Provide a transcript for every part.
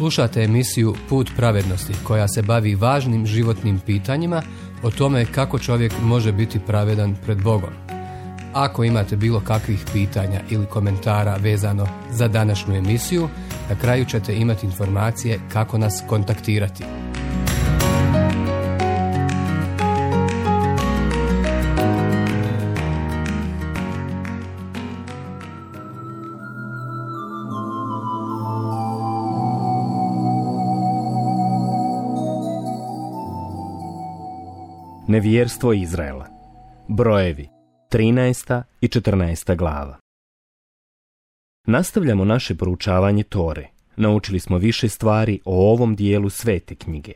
Slušate emisiju Put pravednosti koja se bavi važnim životnim pitanjima o tome kako čovjek može biti pravedan pred Bogom. Ako imate bilo kakvih pitanja ili komentara vezano za današnju emisiju, na kraju ćete imati informacije kako nas kontaktirati. Nevjerstvo Izraela. Brojevi 13. i 14. glava. Nastavljamo naše proučavanje Tore. Naučili smo više stvari o ovom dijelu svete knjige.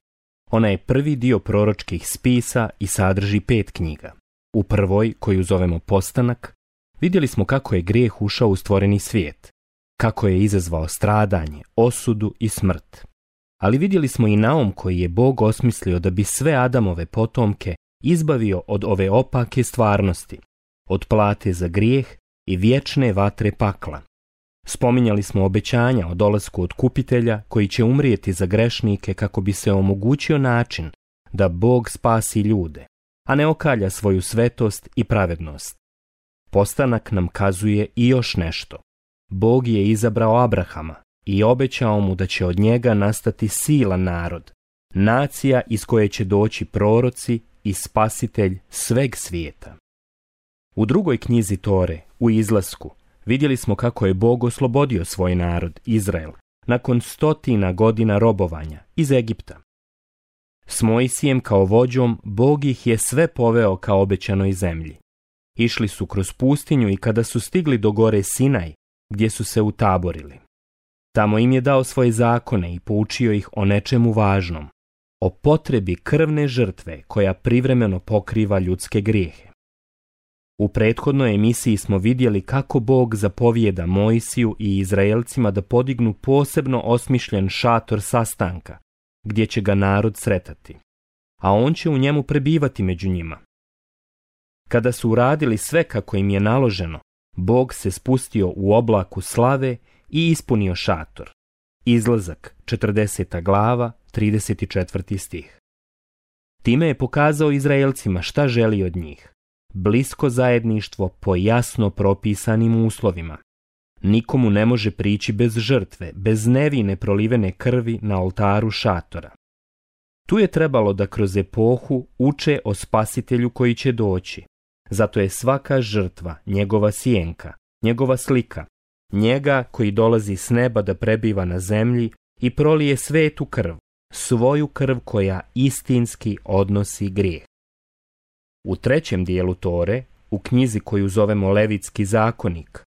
Ona je prvi dio proročkih spisa i sadrži 5 knjiga. U prvoj, koju zovemo Postanak, vidjeli smo kako je grijeh ušao u stvoreni svijet, kako je izazvao stradanje, osudu i smrt. Ali vidjeli smo i naum koji je Bog osmislio da bi sve Adamove potomke izbavio od ove opake stvarnosti, od plate za grijeh i vječne vatre pakla. Spominjali smo obećanja o dolasku otkupitelja koji će umrijeti za grešnike kako bi se omogućio način da Bog spasi ljude, a ne okalja svoju svetost i pravednost. Postanak nam kazuje i još nešto. Bog je izabrao Abrahama i obećao mu da će od njega nastati silan narod, nacija iz koje će doći proroci i spasitelj sveg svijeta. U drugoj knjizi Tore, u Izlasku, vidjeli smo kako je Bog oslobodio svoj narod, Izrael, nakon 100 godina robovanja iz Egipta. S Mojsijem kao vođom Bog ih je sve poveo ka obećanoj zemlji. Išli su kroz pustinju i kada su stigli do gore Sinaj, gdje su se utaborili. Tamo im je dao svoje zakone i poučio ih o nečemu važnom, o potrebi krvne žrtve koja privremeno pokriva ljudske grijehe. U prethodnoj emisiji smo vidjeli kako Bog zapovijeda Mojsiju i Izraelcima da podignu posebno osmišljen šator sastanka, gdje će ga narod sretati, a on će u njemu prebivati među njima. Kada su uradili sve kako im je naloženo, Bog se spustio u oblaku slave i ispunio šator. Izlazak, 40. glava, 34. stih. Time je pokazao Izraelcima šta želi od njih. Blisko zajedništvo po jasno propisanim uslovima. Nikomu ne može prići bez žrtve, bez nevine prolivene krvi na oltaru šatora. Tu je trebalo da kroz epohu uče o spasitelju koji će doći. Zato je svaka žrtva njegova sjenka, njegova slika, njega koji dolazi s neba da prebiva na zemlji i prolije svetu krv, svoju krv koja istinski odnosi grijeh. U trećem dijelu Tore, u knjizi koju zovemo Levitski zakonik,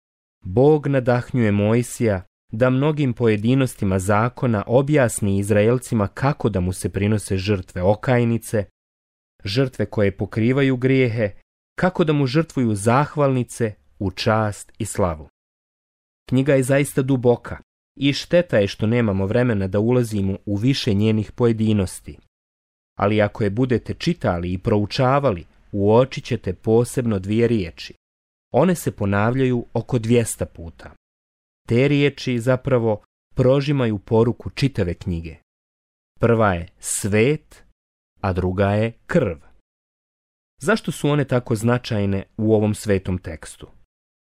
Bog nadahnjuje Mojsija da mnogim pojedinostima zakona objasni Izraelcima kako da mu se prinose žrtve okajnice, žrtve koje pokrivaju grijehe, kako da mu žrtvuju zahvalnice u čast i slavu. Knjiga je zaista duboka i šteta je što nemamo vremena da ulazimo u više njenih pojedinosti. Ali ako je budete čitali i proučavali, uočit ćete posebno 2 riječi. One se ponavljaju oko 200 puta. Te riječi zapravo prožimaju poruku čitave knjige. Prva je svet, a druga je krv. Zašto su one tako značajne u ovom svetom tekstu?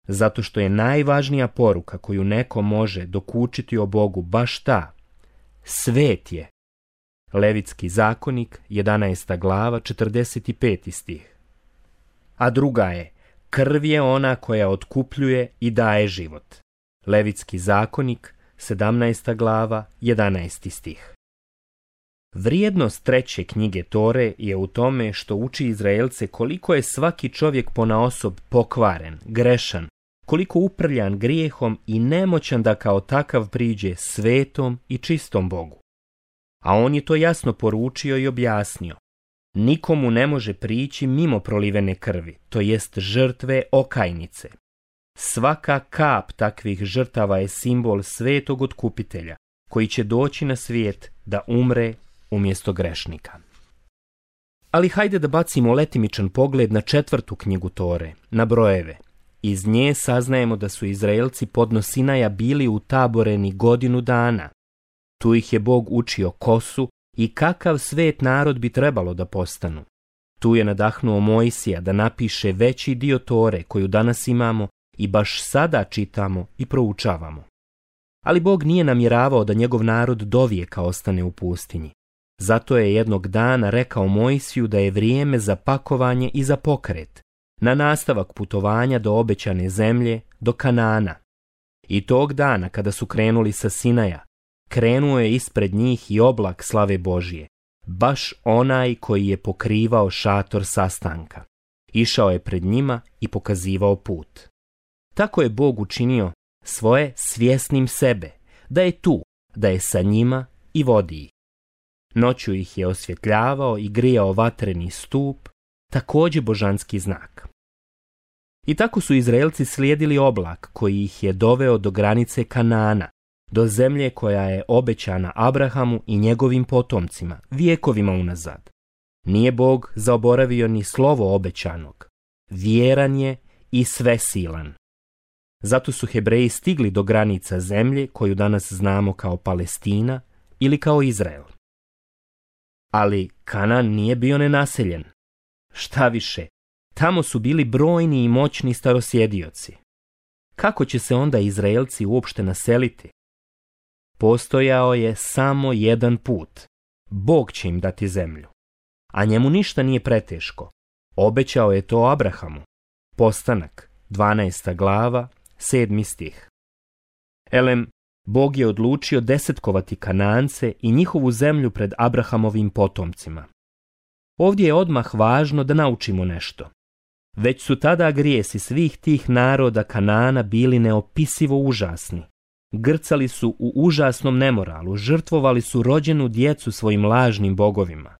Zato što je najvažnija poruka koju neko može dokučiti o Bogu baš ta. Svet je. Levitski zakonik, 11. glava, 45. stih. A druga je, krv je ona koja otkupljuje i daje život. Levitski zakonik, 17. glava, 11. stih. Vrijednost treće knjige Tore je u tome što uči Izraelce koliko je svaki čovjek ponaosob pokvaren, grešan, koliko uprljan grijehom i nemoćan da kao takav priđe svetom i čistom Bogu. A on je to jasno poručio i objasnio. Nikomu ne može prići mimo prolivene krvi, to jest žrtve okajnice. Svaka kap takvih žrtava je simbol svetog otkupitelja, koji će doći na svijet da umre umjesto grešnika. Ali hajde da bacimo letimičan pogled na 4. knjigu Tore, na brojeve. Iz nje saznajemo da su Izraelci podno Sinaja bili utaboreni 1 godinu dana. Tu ih je Bog učio ko su i kakav svet narod bi trebalo da postanu. Tu je nadahnuo Mojsija da napiše veći dio Tore koju danas imamo i baš sada čitamo i proučavamo. Ali Bog nije namjeravao da njegov narod dovijeka ostane u pustinji. Zato je jednog dana rekao Mojsiju da je vrijeme za pakovanje i za pokret, na nastavak putovanja do obećane zemlje, do Kanana. I tog dana kada su krenuli sa Sinaja, krenuo je ispred njih i oblak slave Božije, baš onaj koji je pokrivao šator sastanka. Išao je pred njima i pokazivao put. Tako je Bog učinio svoje svjesnim sebe, da je tu, da je sa njima i vodi ih. Noću ih je osvjetljavao i grijao vatreni stup, također božanski znak. I tako su Izraelci slijedili oblak koji ih je doveo do granice Kanana, do zemlje koja je obećana Abrahamu i njegovim potomcima, vjekovima unazad. Nije Bog zaboravio ni slovo obećanog. Vjeran je i svesilan. Zato su Hebreji stigli do granica zemlje koju danas znamo kao Palestina ili kao Izrael. Ali Kanan nije bio nenaseljen. Šta više, tamo su bili brojni i moćni starosjedioci. Kako će se onda Izraelci uopšte naseliti? Postojao je samo jedan put. Bog će im dati zemlju. A njemu ništa nije preteško. Obećao je to Abrahamu. Postanak, 12. glava, 7. stih. Elem, Bog je odlučio desetkovati Kanance i njihovu zemlju pred Abrahamovim potomcima. Ovdje je odmah važno da naučimo nešto. Već su tada grijesi svih tih naroda Kanana bili neopisivo užasni. Grcali su u užasnom nemoralu, žrtvovali su rođenu djecu svojim lažnim bogovima.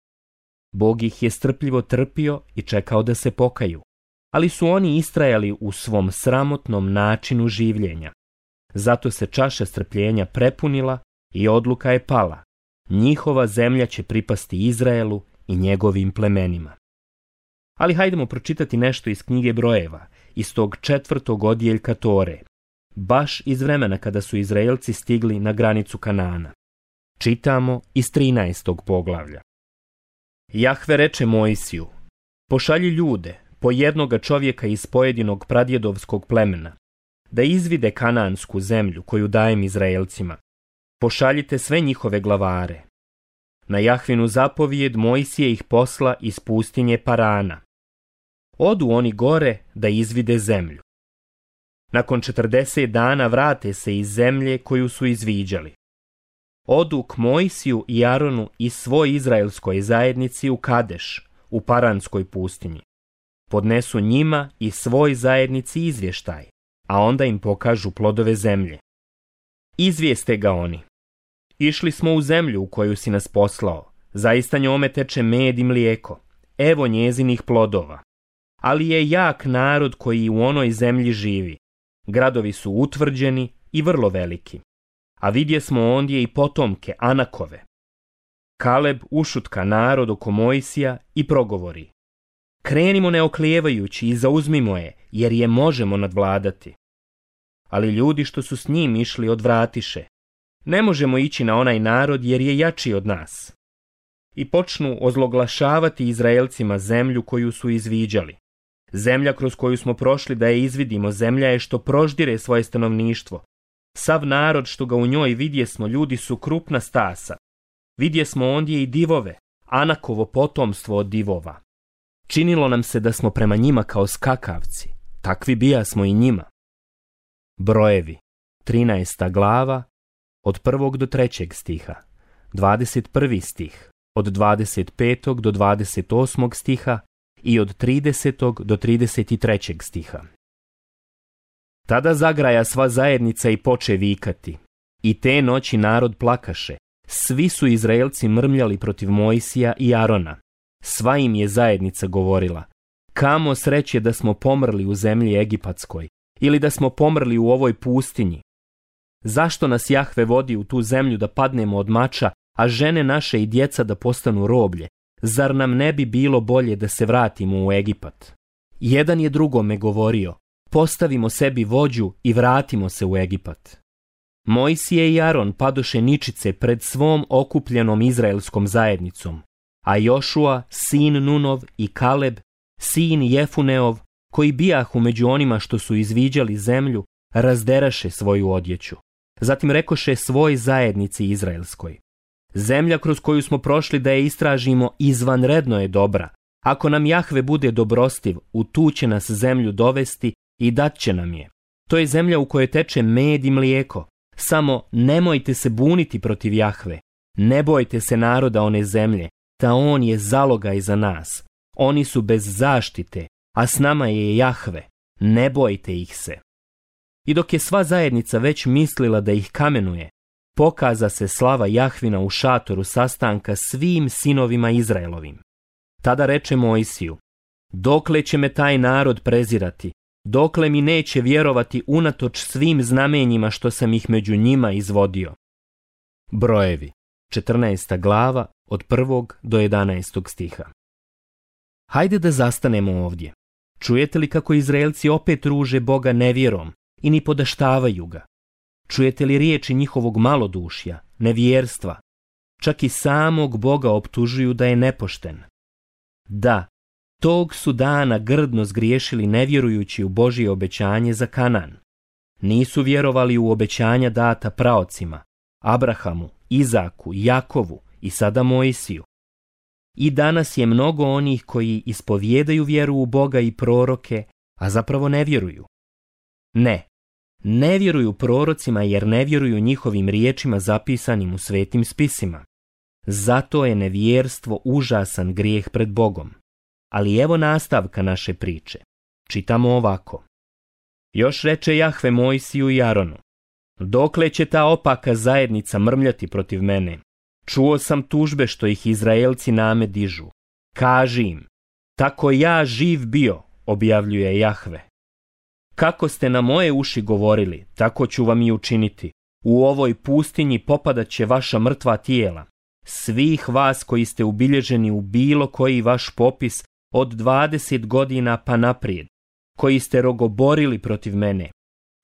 Bog ih je strpljivo trpio i čekao da se pokaju, ali su oni istrajali u svom sramotnom načinu življenja. Zato se čaša strpljenja prepunila i odluka je pala. Njihova zemlja će pripasti Izraelu i njegovim plemenima. Ali hajdemo pročitati nešto iz knjige Brojeva, iz tog 4. odjeljka Tore, baš iz vremena kada su Izraelci stigli na granicu Kanana. Čitamo iz 13. poglavlja. Jahve reče Mojsiju: pošalji ljude, po jednoga čovjeka iz pojedinog pradjedovskog plemena, da izvide kanansku zemlju koju dajem Izraelcima. Pošaljite sve njihove glavare. Na Jahvinu zapovijed Mojsije ih posla iz pustinje Parana. Odu oni gore da izvide zemlju. Nakon 40 dana vrate se iz zemlje koju su izviđali. Odu k Mojsiju i Aronu i svoj izraelskoj zajednici u Kadeš, u Paranskoj pustinji. Podnesu njima i svoj zajednici izvještaj, a onda im pokažu plodove zemlje. Izvijeste ga oni: išli smo u zemlju u koju si nas poslao, zaista njome teče med i mlijeko, evo njezinih plodova. Ali je jak narod koji u onoj zemlji živi. Gradovi su utvrđeni i vrlo veliki. A vidje smo ondje i potomke Anakove. Kaleb ušutka narod oko Mojsija i progovori: krenimo neoklijevajući i zauzmimo je, jer je možemo nadvladati. Ali ljudi što su s njim išli odvratiše: ne možemo ići na onaj narod jer je jači od nas. I počnu ozloglašavati Izraelcima zemlju koju su izviđali. Zemlja kroz koju smo prošli da je izvidimo, zemlja je što proždire svoje stanovništvo. Sav narod što ga u njoj vidje smo, ljudi su krupna stasa. Vidje smo ondje i divove, Anakovo potomstvo od divova. Činilo nam se da smo prema njima kao skakavci, takvi bija smo i njima. Brojevi, 13. glava, od 1. do 3. stiha, 21. stih, od 25. do 28. stiha i od 30. do 33. stiha. Tada zagraja sva zajednica i poče vikati. I te noći narod plakaše. Svi su Izraelci mrmljali protiv Mojsija i Arona. Sva im je zajednica govorila: kamo sreće da smo pomrli u zemlji Egipatskoj, ili da smo pomrli u ovoj pustinji. Zašto nas Jahve vodi u tu zemlju da padnemo od mača, a žene naše i djeca da postanu roblje? Zar nam ne bi bilo bolje da se vratimo u Egipat? Jedan je drugome govorio: postavimo sebi vođu i vratimo se u Egipat. Mojsije i Aron padoše ničice pred svom okupljenom izraelskom zajednicom, a Jošua, sin Nunov, i Kaleb, sin Jefuneov, koji bijahu među onima što su izviđali zemlju, razderaše svoju odjeću. Zatim rekoše svoj zajednici izraelskoj: zemlja kroz koju smo prošli da je istražimo izvanredno je dobra. Ako nam Jahve bude dobrostiv, u tu će nas zemlju dovesti i dat će nam je. To je zemlja u kojoj teče med i mlijeko. Samo nemojte se buniti protiv Jahve. Ne bojte se naroda one zemlje, ta on je zalogaj za nas. Oni su bez zaštite, a s nama je Jahve. Ne bojte ih se. I dok je sva zajednica već mislila da ih kamenuje, pokaza se slava Jahvina u šatoru sastanka svim sinovima Izraelovim. Tada reče Mojsiju: dokle će me taj narod prezirati, dokle mi neće vjerovati unatoč svim znamenjima što sam ih među njima izvodio. Brojevi, 14. glava, od 1. do 11. stiha. Hajde da zastanemo ovdje. Čujete li kako Izraelci opet ruže Boga nevjerom i ni podaštavaju ga? Čujete li riječi njihovog malodušja, nevjerstva? Čak i samog Boga optužuju da je nepošten. Da, tog su dana grdno zgriješili nevjerujući u Božje obećanje za Kanan. Nisu vjerovali u obećanja data praocima, Abrahamu, Izaku, Jakovu i sada Mojsiju. I danas je mnogo onih koji ispovjedaju vjeru u Boga i proroke, a zapravo ne vjeruju. Ne vjeruju prorocima jer ne vjeruju njihovim riječima zapisanim u svetim spisima. Zato je nevjerstvo užasan grijeh pred Bogom. Ali evo nastavka naše priče. Čitamo ovako. Još reče Jahve Mojsiju i Aronu: dokle će ta opaka zajednica mrmljati protiv mene? Čuo sam tužbe što ih Izraelci name dižu. Kaži im: tako ja živ bio, objavljuje Jahve. Kako ste na moje uši govorili, tako ću vam i učiniti. U ovoj pustinji popadat će vaša mrtva tijela. Svih vas koji ste ubilježeni u bilo koji vaš popis od 20 godina pa naprijed, koji ste rogoborili protiv mene,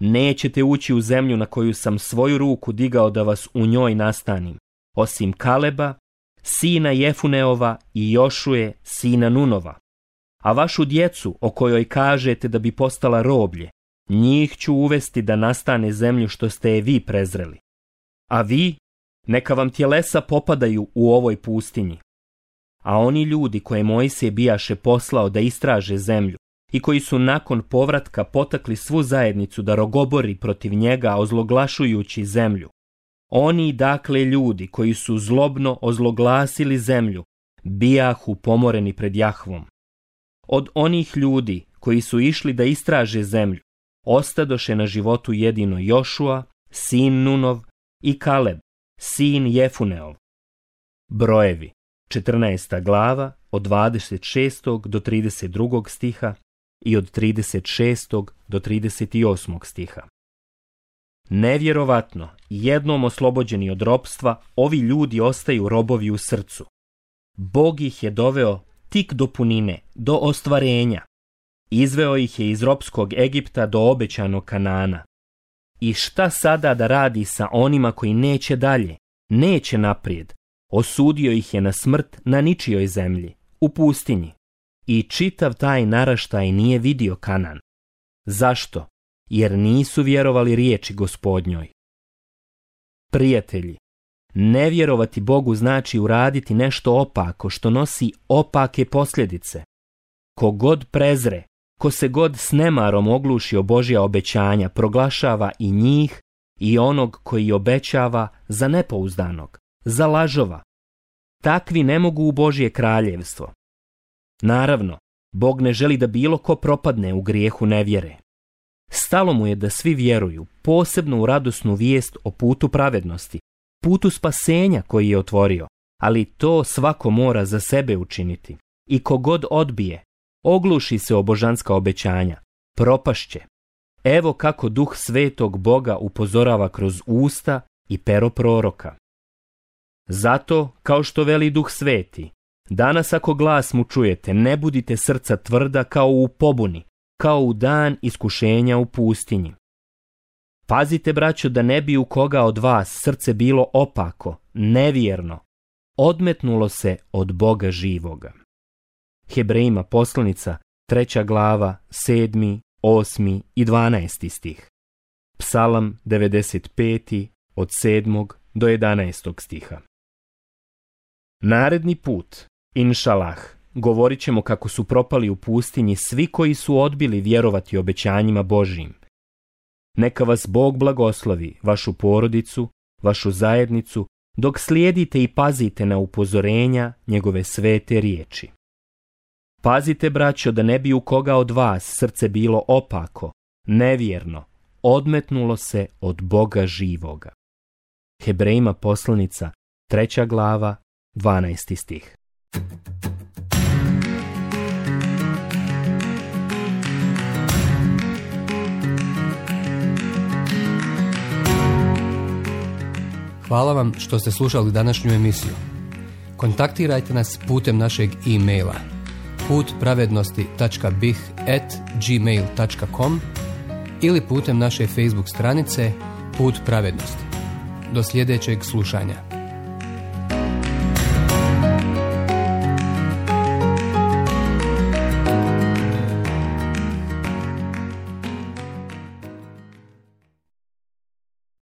nećete ući u zemlju na koju sam svoju ruku digao da vas u njoj nastanim, osim Kaleba, sina Jefuneova, i Jošuje, sina Nunova. A vašu djecu, o kojoj kažete da bi postala roblje, njih ću uvesti da nastane zemlju što ste je vi prezreli. A vi, neka vam tjelesa popadaju u ovoj pustinji. A oni ljudi koje Mojsije bijaše poslao da istraže zemlju i koji su nakon povratka potakli svu zajednicu da rogobori protiv njega ozloglašujući zemlju, oni dakle ljudi koji su zlobno ozloglasili zemlju, bijahu pomoreni pred Jahvom. Od onih ljudi koji su išli da istraže zemlju, ostadoše na životu jedino Jošua, sin Nunov, i Kaleb, sin Jefuneov. Brojevi, 14. glava, od 26. do 32. stiha i od 36. do 38. stiha. Nevjerovatno, jednom oslobođeni od ropstva, ovi ljudi ostaju robovi u srcu. Bog ih je doveo tik do punine, do ostvarenja. Izveo ih je iz ropskog Egipta do obećanog Kanana. I šta sada da radi sa onima koji neće dalje, neće naprijed? Osudio ih je na smrt na ničijoj zemlji, u pustinji. I čitav taj naraštaj nije vidio Kanan. Zašto? Jer nisu vjerovali riječi Gospodnjoj. Prijatelji, ne vjerovati Bogu znači uraditi nešto opako što nosi opake posljedice. Ko god prezre, ko se god s nemarom ogluši o Božja obećanja, proglašava i njih i onog koji obećava za nepouzdanog, za lažova. Takvi ne mogu u Božje kraljevstvo. Naravno, Bog ne želi da bilo ko propadne u grijehu nevjere. Stalo mu je da svi vjeruju, posebno u radosnu vijest o putu pravednosti, putu spasenja koji je otvorio, ali to svako mora za sebe učiniti. I kogod odbije, ogluši se o božanska obećanja, propašće. Evo kako Duh Svetog Boga upozorava kroz usta i pero proroka. Zato, kao što veli Duh Sveti, danas ako glas mu čujete, ne budite srca tvrda kao u pobuni, kao u dan iskušenja u pustinji. Pazite, braćo, da ne bi u koga od vas srce bilo opako, nevjerno, odmetnulo se od Boga živoga. Hebrejima poslanica, 3. glava, 7., 8. i 12. stih. Psalam 95. od 7. do 11. stiha. Naredni put, inšalah, govorit ćemo kako su propali u pustinji svi koji su odbili vjerovati obećanjima Božjim. Neka vas Bog blagoslovi, vašu porodicu, vašu zajednicu, dok slijedite i pazite na upozorenja njegove svete riječi. Pazite, braćo, da ne bi u koga od vas srce bilo opako, nevjerno, odmetnulo se od Boga živoga. Hebrejima poslanica, 3. glava, 12. stih. Hvala vam što ste slušali današnju emisiju. Kontaktirajte nas putem našeg e-maila putpravednosti.bih@gmail.com ili putem naše Facebook stranice Put pravednosti. Do sljedećeg slušanja.